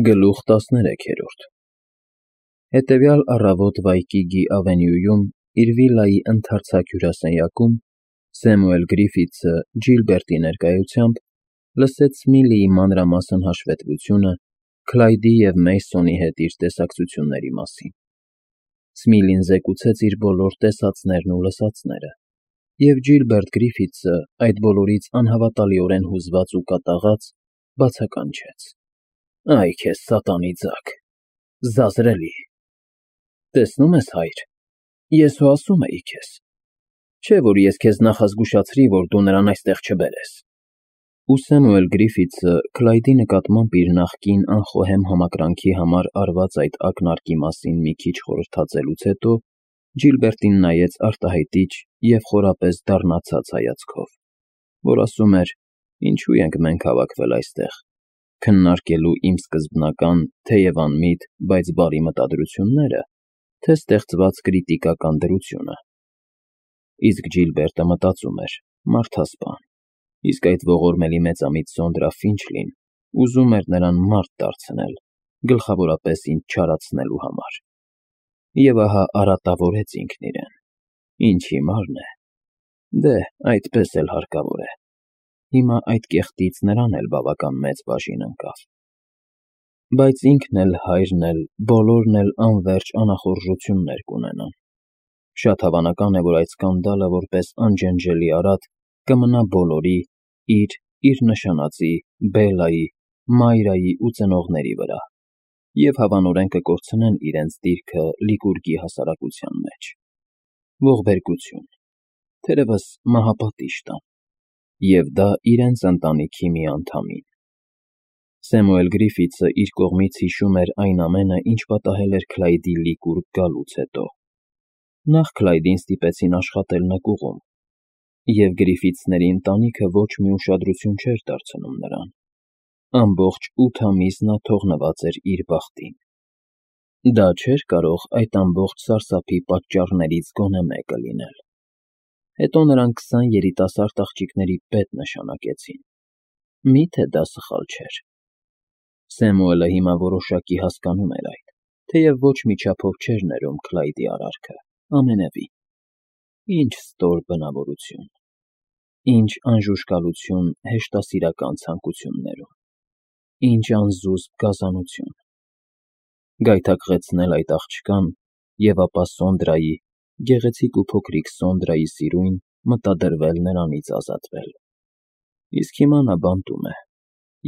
Գլուխ 13 Հետևյալ առավոտ Վայկիգի ավենյուում իր վիլայի ընդարձակ հյուրասենյակում Սեմուել Գրիֆիթսը Ջիլբերտի ներկայությամբ լսեց Սմիլիի մանրամասն հաշվետվությունը Քլայդի և Մեյսոնի հետ իր տեսակցությունների մասին։ Սմիլին զեկուցեց իր բոլոր տեսածներն ու լսածները, և Ջիլբերտ Գրիֆիթսը, այդ բոլորից անհավատալիորեն հուզված ու կատաղած, բացականչեց. Այ քեզ սատանի ձագ, զազրելի… Տեսնում ես, հայր, ես հո ասում էի քեզ, չէ՞ որ ես քեզ նախազգուշացրի, որ դու նրան այստեղ չբերես… Ու Սեմուել Գրիֆիթսը Քլայդի նկատմամբ իր նախկին անխոհեմ համակրանքի համար արված այդ ակնարկի մասին մի քիչ խորհրդածելուց հետո Ջիլբերտին նայեց արտահայտիչ և խորապես դառնացած հայացքով, որ ասում էր. ինչու ենք մենք հավաքվել այստեղ, քննարկելու իմ սկզբնական, թեև անմիտ, բայց բարի մտադրություննե՞րը, թե ստեղծված կրիտիկական դրությունը… Իսկ Ջիլբերտը մտածում էր. մարդասպան, իսկ այդ ողորմելի մեծամիտ Սոնդրա Ֆինչլին ուզում էր նրան մարդ դարձնել, գլխավորապես ինձ չարացնելու համար… Եվ ահա արատավորեց ինքն իրեն… Ինչ հիմարն է… Դե, այդպես էլ հարկավոր է… Հիմա այդ կեղտից նրան էլ բավական մեծ բաժին ընկավ… Բայց ինքն էլ, հայրն էլ, բոլորն էլ անվերջ անախորժություններ կունենան… Շատ հավանական է, որ այդ սկանդալը, որպես անջնջելի արատ, կմնա բոլորի, իր նշանածի, Բելլայի, Մայրայի ու ծնողների վրա, և հավանորեն կկորցնեն իրենց դիրքը Լիկուրգի հասարակության մեջ… Ողբերգություն… Թերևս մահապատիժ տան… Եվ դա իրենց ընտանիքի մի անդամին… Սեմուել Գրիֆիթսը իր կողմից հիշում էր այն ամենը, ինչ պատահել էր Քլայդի Լիկուրգ գալուց հետո… Նախ Քլայդին ստիպեցին աշխատել նկուղում, և Գրիֆիթսների ընտանիքը ոչ մի ուշադրություն չէր դարձնում նրան… Ամբողջ 8 ամիս նա թողնված էր իր բախտին… Դա չէր կարող այդ ամբողջ սարսափի պատճառներից գոնե մեկը լինել… Հետո նրան 20 երիտասարդ աղջիկների պետ նշանակեցին… Մի՞թե դա սխալ չէր… Սեմուելը հիմա որոշակի հասկանում էր այդ, թեև ոչ մի չափով չէր ներում Քլայդի արարքը, ամենևին… Ինչ ստոր բնավորություն… Ինչ անժուժկալություն հեշտասիրական ցանկություններում… Ինչ անզուսպ գազանություն… Գայթակղեցնել այդ աղջկան և ապա Սոնդրայի, գեղեցիկ ու փոքրիկ Սոնդրայի սիրուն մտադրվել նրանից ազատվել… Իսկ հիմա նա բանտում է…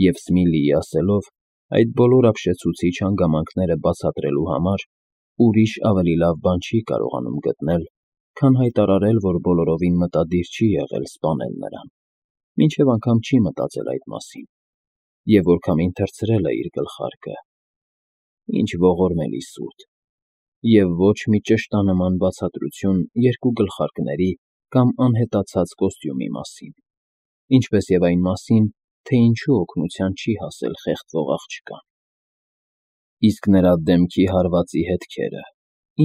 Եվ Սմիլիի ասելով, այդ բոլոր ապշեցուցիչ հանգամանքները բացատրելու համար ուրիշ ավելի լավ բան չի կարողանում գտնել, քան հայտարարել, որ բոլորովին մտադիր չի եղել սպանել նրան, մինչև անգամ չի մտածել այդ մասին, և որքամին թռցրել է իր գլխարկը… Ինչ ողորմելի սուտ… Եվ ոչ մի ճշտանման բացատրություն երկու գլխարկների կամ անհետացած կոստյումի մասին, ինչպես և այն մասին, թե ինչու օգնության չի հասել խեղդվող աղջկան… Իսկ նրա դեմքի հարվածի հետքերը…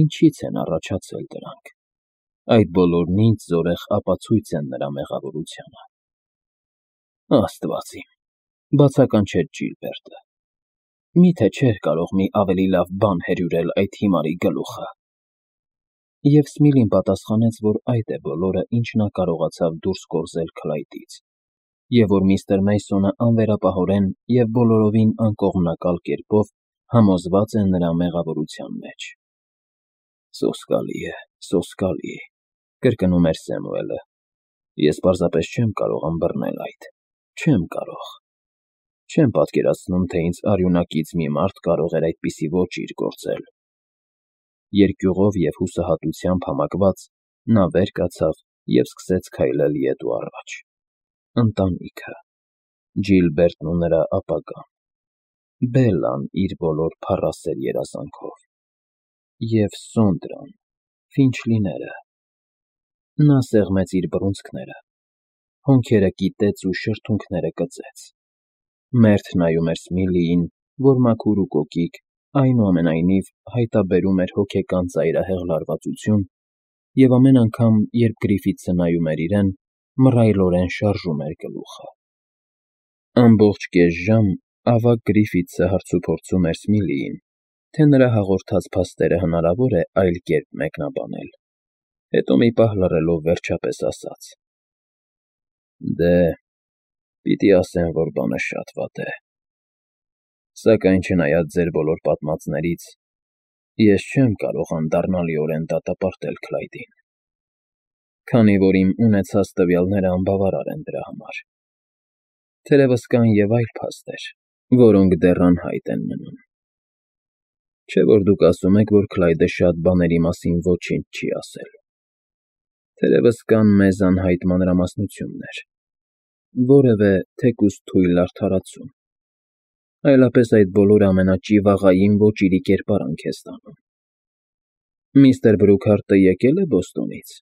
ինչից են առաջացել դրանք… Այդ բոլորն ինչ զորեղ ապացույց են նրա մեղավորությանը… Աստված իմ… Բացականչեց Ջիլբերտը… Մի՞թե չէր կարող մի ավելի լավ բան հերյուրել այդ հիմարի գլուխը… Եվ Սմիլին պատասխանեց, որ այդ է բոլորը, ինչ նա կարողացավ դուրս կորզել Քլայդից, և որ միստր Մեյսոնը անվերապահորեն և բոլորովին անկողմնակալ կերպով համոզված է նրա մեղավորության մեջ… Սոսկալի է, սոսկալի… կրկնում էր Սեմուելը… Ես պարզապես չեմ կարող ըմբռնել այդ… Չեմ կարող… Չեմ պատկերացնում, թե ինձ արյունակից մի մարդ կարող էր այդպիսի ոճիր գործել… Երկյուղով և հուսահատությամբ համակված նա վեր կացավ և սկսեց քայլել ետ ու առաջ… Ընտանիքը… Ջիլբերտն ու նրա ապագան… Բելլան իր բոլոր փառասեր երազանքով… Եվ Սոնդրան… Ֆինչլիները… Նա սեղմեց իր բռունցքները… Հոնքերը կիտեց ու շրթունքները կծեց… Մերթ նայում էր Սմիլիին, որ մաքուր ու կոկիկ, այնուամենայնիվ հայտաբերում էր հոգեկան ծայրահեղ լարվածություն և ամեն անգամ, երբ Գրիֆիթսը նայում էր իրեն, մռայլորեն շարժում էր գլուխը… Ամբողջ կես ժամ ավագ Գրիֆիթսը հարցուփորձում էր Սմիլիին, թե նրա հաղորդած փաստերը հնարավոր է այլ կերպ մեկնաբանել, հետո մի պահ լռելով վերջապես ասաց. Դե, պիտի ասեմ, որ բանը շատ վատ է, սակայն չնայած ձեր բոլոր պատմածներից, ես չեմ կարող անդառնալիորեն դատապարտել Քլայդին, քանի որ իմ ունեցած տվյալները անբավարար են դրա համար։ Թերևս կան և այլ փաստեր, որոնք դեռ անհայտ են մնում։ Չէ՞ որ դուք ասում եք, որ Քլայդը շատ բաների մասին ոչինչ չի ասել։ Թերևս կան մեզ անհայտ մանրամասնություններ, որևէ թեկուզ թույլ արդարացում, այլապես այդ բոլորը ամենաճիվաղային ոճիրի կերպարանք է ստանում։ Միստր Բրուքհարտը եկել է Բոստոնից։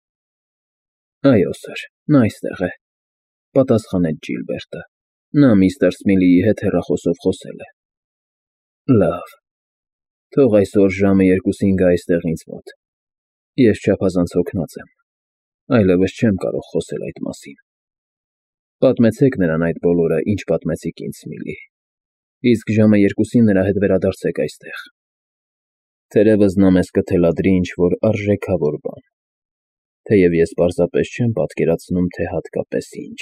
Այո, սըր, նա այստեղ է, պատասխանեց Ջիլբերտը։ Նա միստր Սմիլիի հետ հեռախոսով խոսել է։ Լավ, թող այսօր ժամը 2-ին գա այստեղ ինձ մոտ։ Ես չափազանց հոգնած եմ, այլևս չեմ կարող խոսել այդ մասին։ Պատմեցեք նրան այդ բոլորը, ինչ պատմեցիք ինձ, Սմիլի, իսկ ժամը 2-ին նրա հետ վերադարձեք այստեղ։ Թերևս նա մեզ կթելադրի ինչ-որ արժեքավոր բան, թեև ես պարզապես չեմ պատկերացնում, թե հատկապես ինչ։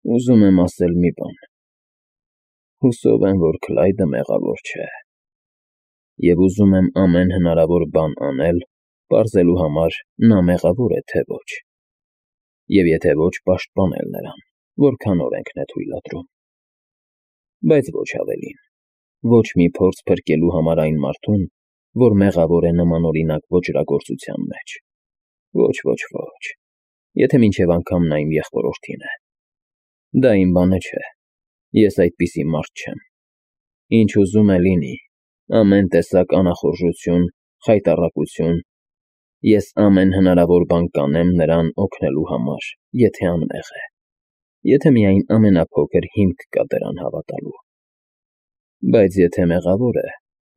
Ուզում եմ ասել մի բան. հուսով եմ, որ Քլայդը մեղավոր չէ, և ուզում եմ ամեն հնարավոր բան անել, պարզելու համար նա մեղավոր է, թե ոչ, և եթե ոչ, պաշտպանել նրան, որքան օրենքն է թույլատրում։ Բայց ոչ ավելին, ոչ մի փորձ փրկելու համար այն մարդուն, որ մեղավոր է նմանօրինակ ոճրագործության մեջ։ Ոչ, եթե մինչև անգամ նա իմ եղբորորդին է։ Դա իմ բանը չէ, ես այդպիսի մարդ չեմ։ Ինչ ուզում է լինի, ամեն տեսակ անախորժություն, խայտառակություն, ես ամեն հնարավոր բան կանեմ նրան օգնելու համար, եթե անմեղ է, եթե միայն ամենափոքր հիմք կա դրան հավատալու։ Բայց եթե մեղավոր է,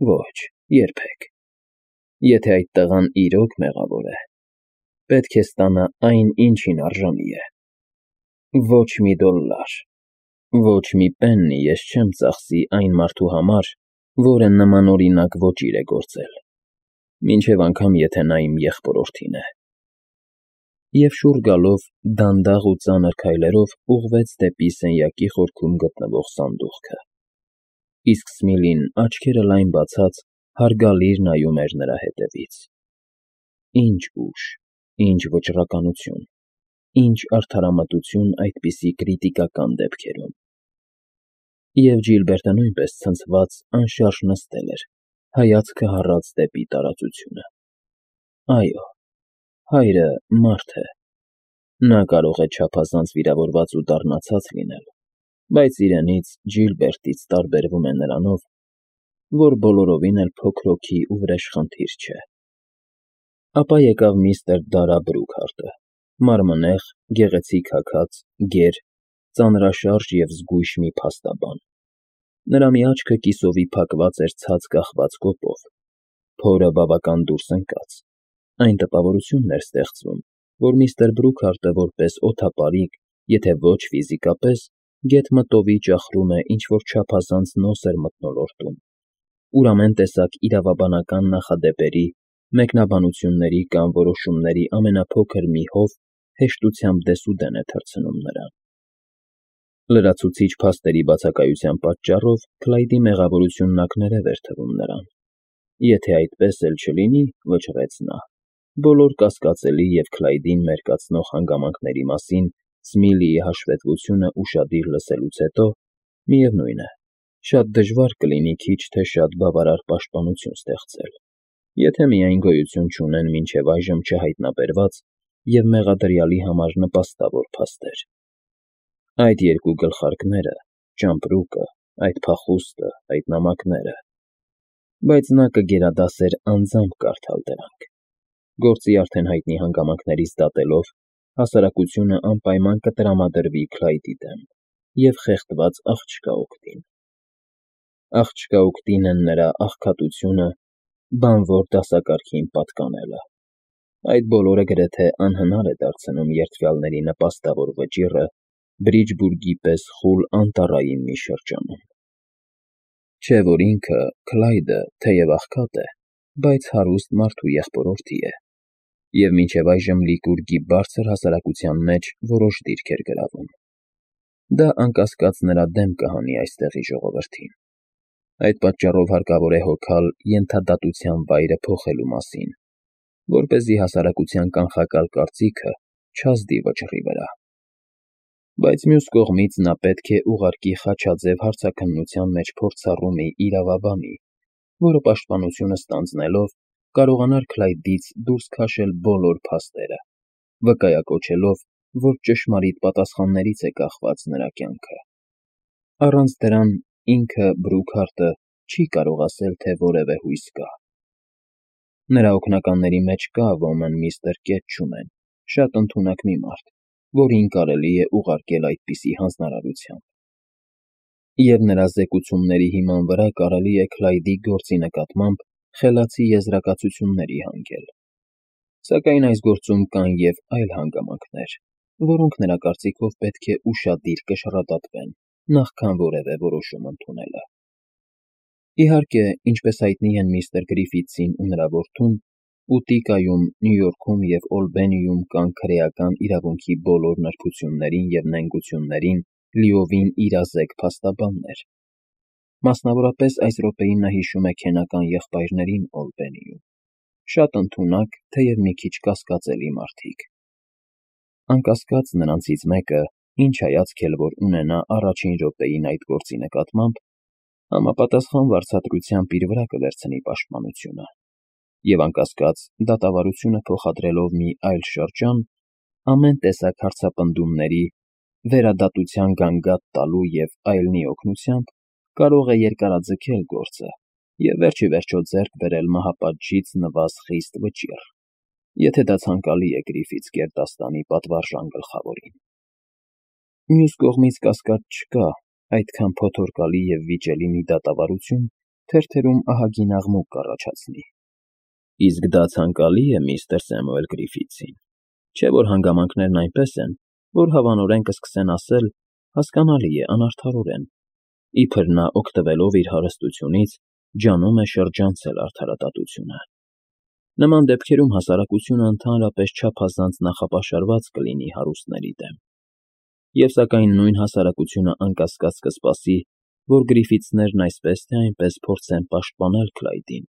ոչ, երբեք։ Եթե այդ տղան իրոք մեղավոր է, պետք է ստանա այն, ինչին արժանի է։ Ոչ մի դոլլար, ոչ մի պեննի ես չեմ ծախսի այն մարդու համար, որը նմանօրինակ ոճիր է գործել, մինչև անգամ եթե նա իմ եղբորորդին է։ Եվ շուռ գալով դանդաղ ու ծանր քայլերով ուղղվեց դեպի սենյակի խորքում գտնվող սանդուղքը, իսկ Սմիլին աչքերը լայն բացած հարգալիր նայում էր նրա հետևից։ Ինչ ուժ, ինչ վճռականություն, ինչ արդարամտություն այդպիսի կրիտիկական դեպքերում։ Եվ Ջիլբերտը նույնպես ցնցված անշարժ նստել էր, հայացքը հառած դեպի տարածությունը։ Այո, հայրը մարդ է։ Նա կարող է չափազանց վիրավորված ու դառնացած լինել, բայց իրենից, Ջիլբերտից տարբերվում է նրանով, որ բոլորովին էլ փոքրոքի ու վրեժխնդիր չէ։ Ապա եկավ միստր Դարա Բրուքհարտը, մարմնեղ, գեղեցիկ հագած, գեր, ծանրաշարժ և զգույշ մի փաստաբան։ Նրա մի աչքը կիսովի փակված էր ցած կախված կոպով, փորը բավական դուրս ընկած։ Այն տպավորությունն էր ստեղծվում, որ միստր Բրուքհարտը որպես օդապարիկ, եթե ոչ ֆիզիկապես, գեթ-մտովի ճախրում է ինչ-որ չափազանց նոսր մթնոլորտում, ուր ամեն տեսակ իրավաբանական նախադեպերի, մեկնաբանությունների կամ որոշումների ամենափոքր մի հով հեշտությամբ դեսուդեն է թռցնում նրան։ Լրացուցիչ փաստերի բացակայության պատճառով Քլայդի մեղավորությունն ակներև էր թվում նրան։ Եթե այդպես էլ չլինի, վճռեց նա, բոլոր կասկածելի և Քլայդին մերկացնող հանգամանքների մասին Սմիլիի հաշվետվությունը ուշադիր լսելուց հետո, միևնույն է, շատ դժվար կլինի քիչ թե շատ բավարար պաշտպանություն ստեղծել, եթե միայն գոյություն չունեն մինչև այժմ չհայտնաբերված և մեղադրյալի համար նպաստավոր փաստեր։ Այդ երկու գլխարկները, ճամպրուկը, այդ փախուստը, այդ նամակները։ Բայց նա կգերադասեր անձամբ կարդալ դրանք։ Գործի արդեն հայտնի հանգամանքներից դատելով, հասարակությունը անպայման կտրամադրվի Քլայդի դեմ և խեղդված աղջկա օգտին։ Աղջկա օգտին են նրա աղքատությունը, բանվոր դասակարգին պատկանելը։ Այդ բոլորը գրեթե անհնար է դարձնում երդվյալների նպաստավոր վճիռը Բրիջբուրգի պես խուլ անտառային մի շրջանում։ Չէ որ ինքը, Քլայդը, թեև աղքատ է, բայց հարուստ մարդու եղբորորդի է, և մինչև այժմ Լիկուրգի բարձր հասարակության մեջ որոշ դիրք էր գրավում։ Դա անկասկած նրա դեմ կհանի այստեղի ժողովրդին։ Այդ պատճառով հարկավոր է հոգալ ենթադատության վայրը փոխելու մասին, որպեսզի հասարակության կանխակալ կարծիքը չազդի վճռի վրա։ Բայց մյուս կողմից նա պետք է ուղարկի խաչաձև հարցաքննության մեջ փորձառու մի իրավաբանի, որը պաշտպանությունը ստանձնելով կարողանար Քլայդից դուրս քաշել բոլոր փաստերը, վկայակոչելով, որ ճշմարիտ պատասխաններից է կախված նրա կյանքը։ Առանց դրան ինքը Բրուքհարտը չի կարող ասել, թե որևէ հույս կա։ Նրա օգնականների մեջ կա ոմն միստր Կետչումեն, շատ ընդունակ մի մարդ, որին կարելի է ուղարկել այդպիսի հանձնարարությամբ։ Եվ նրա զեկուցումների հիման վրա կարելի է Քլայդի գործի նկատմամբ խելացի եզրակացությունների հանգել։ Սակայն այս գործում կան և այլ հանգամանքներ, որոնք նրա կարծիքով պետք է ուշադիր կշռադատվեն, նախքան որևէ որոշում ընդունելը։ Իհարկե, ինչպես հայտնի են միստր Գրիֆիթսին ու նրա որդուն, Ուտիկայում, Նյու Յորքում և Օլբենիում կան քրեական իրավունքի բոլոր նրբություններին և նենգություններին լիովին իրազեկ փաստաբաններ։ Մասնավորապես այս րոպեին նա հիշում է քենական եղբայրներին Օլբենիում, շատ ընդունակ, թեև մի քիչ կասկածելի մարդիկ։ Անկասկած նրանցից մեկը, ինչ հայացք էլ որ ունենա առաջին րոպեին այդ գործի նկատմամբ, համապատասխան վարձատրությամբ իր վրա կվերցնի պաշտպանությունը, և անկասկած դատավարությունը փոխադրելով մի այլ շրջան, ամեն տեսակ հարցապնդումների, վերադատության գանգատ տալու և այլնի օգնությամբ կարող է երկարաձգել գործը և վերջիվերջո ձեռք բերել մահապատժից նվազ խիստ վճիռ, եթե դա ցանկալի է Գրիֆիթս գերդաստանի պատվարժան գլխավորին։ Մյուս կողմից կասկած չկա, այդքան փոթորկալի և վիճելի մի դատավարություն թերթերում ահագին աղմուկ կառաջացնի։ Իսկ դա ցանկալի է միստր Սեմուել Գրիֆիթսին, չէ՞ որ հանգամանքներն այնպես են, որ հավանորեն կսկսեն ասել, հասկանալի է, անարդարորեն, իբր նա օգտվելով իր հարստությունից ջանում է շրջանցել արդարադատությունը։ Նման դեպքերում հասարակությունը ընդհանրապես չափազանց նախապաշարված կլինի հարուստների դեմ։ Եվ սակայն նույն հասարակությունը անկասկած կսպասի, որ Գրիֆիթսներն այսպես թե այնպես փորձեն պաշտպանել Քլայդին,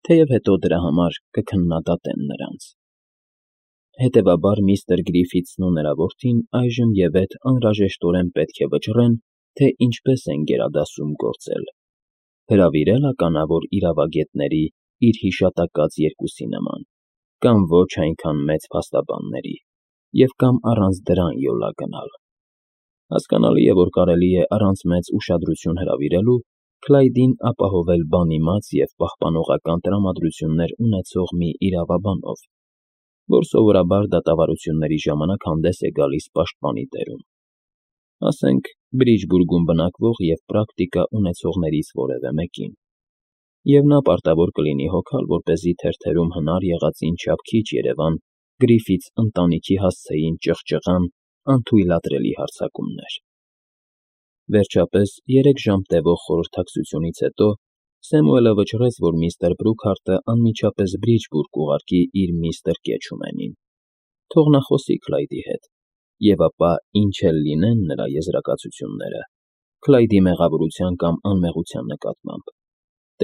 թեև հետո դրա համար կքննադատեն նրանց։ Հետևաբար միստր Գրիֆիթսն ու նրա որդին այժմ ևեթ անհրաժեշտորեն պետք է վճռեն, թե ինչպես են գերադասում գործել՝ հրավիրել ականավոր իրավագետների իր հիշատակած երկուսի նման, կամ ոչ այնքան մեծ փաստաբանների, և կամ առանց դրան յոլա գնալ։ Հասկանալի է, որ կարելի է առանց մեծ ուշադրություն հրավիրելու Քլայդին ապահովել բանիմաց և պահպանողական տրամադրություններ ունեցող մի իրավաբանով, որ սովորաբար դատավարությունների ժամանակ հանդես է գալիս պաշտպանի դերում, ասենք Բրիջբուրգում բնակվող և պրակտիկա ունեցողներից որևէ մեկին, և նա պարտավոր կլինի հոգալ, որպեսզի թերթերում հնար եղածին չափ քիչ երևան Գրիֆիթս ընտանիքի հասցեին ճղճղան անթույլատրելի հարձակումներ։ Վերջապես, 3 ժամ տևող խորհրդակցությունից հետո Սեմուելը վճռեց, որ միստր Բրուքհարտը անմիջապես Բրիջբուրգ ուղարկի իր միստր Կեչումենին, թող նա խոսի Քլայդի հետ, և ապա ինչ էլ լինեն նրա եզրակացությունները Քլայդի մեղավորության կամ անմեղության նկատմամբ,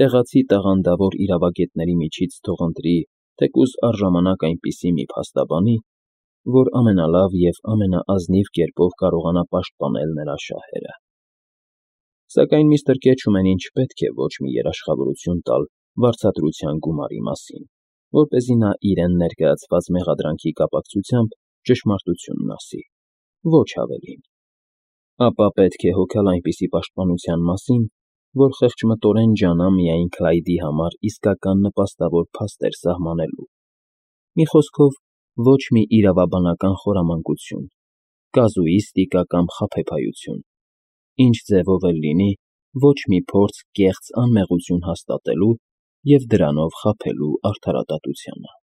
տեղացի տաղանդավոր իրավագետների միջից թող ընտրի թեկուզ առժամանակ այնպիսի մի փաստաբանի, որ ամենալավ և ամենաազնիվ կերպով կարողանա պաշտպանել նրա շահերը։ Սակայն միստր Կեչումենին չպետք է ոչ մի երաշխավորություն տալ վարձատրության գումարի մասին, որպեսզի նա իրեն ներկայացված մեղադրանքի կապակցությամբ ճշմարտությունն ասի, ոչ ավելին։ Ապա պետք է հոգալ այնպիսի պաշտպանության մասին, որ խեղճմտորեն ջանա միայն Քլայդի համար իսկական նպաստավոր փաստեր սահմանելու։ Մի խոսքով, ոչ մի իրավաբանական խորամանկություն, կազուիստիկա կամ խաբեբայություն, ինչ ձևով էլ լինի, ոչ մի փորձ կեղծ անմեղություն հաստատելու և դրանով խաբելու արդարադատությանը։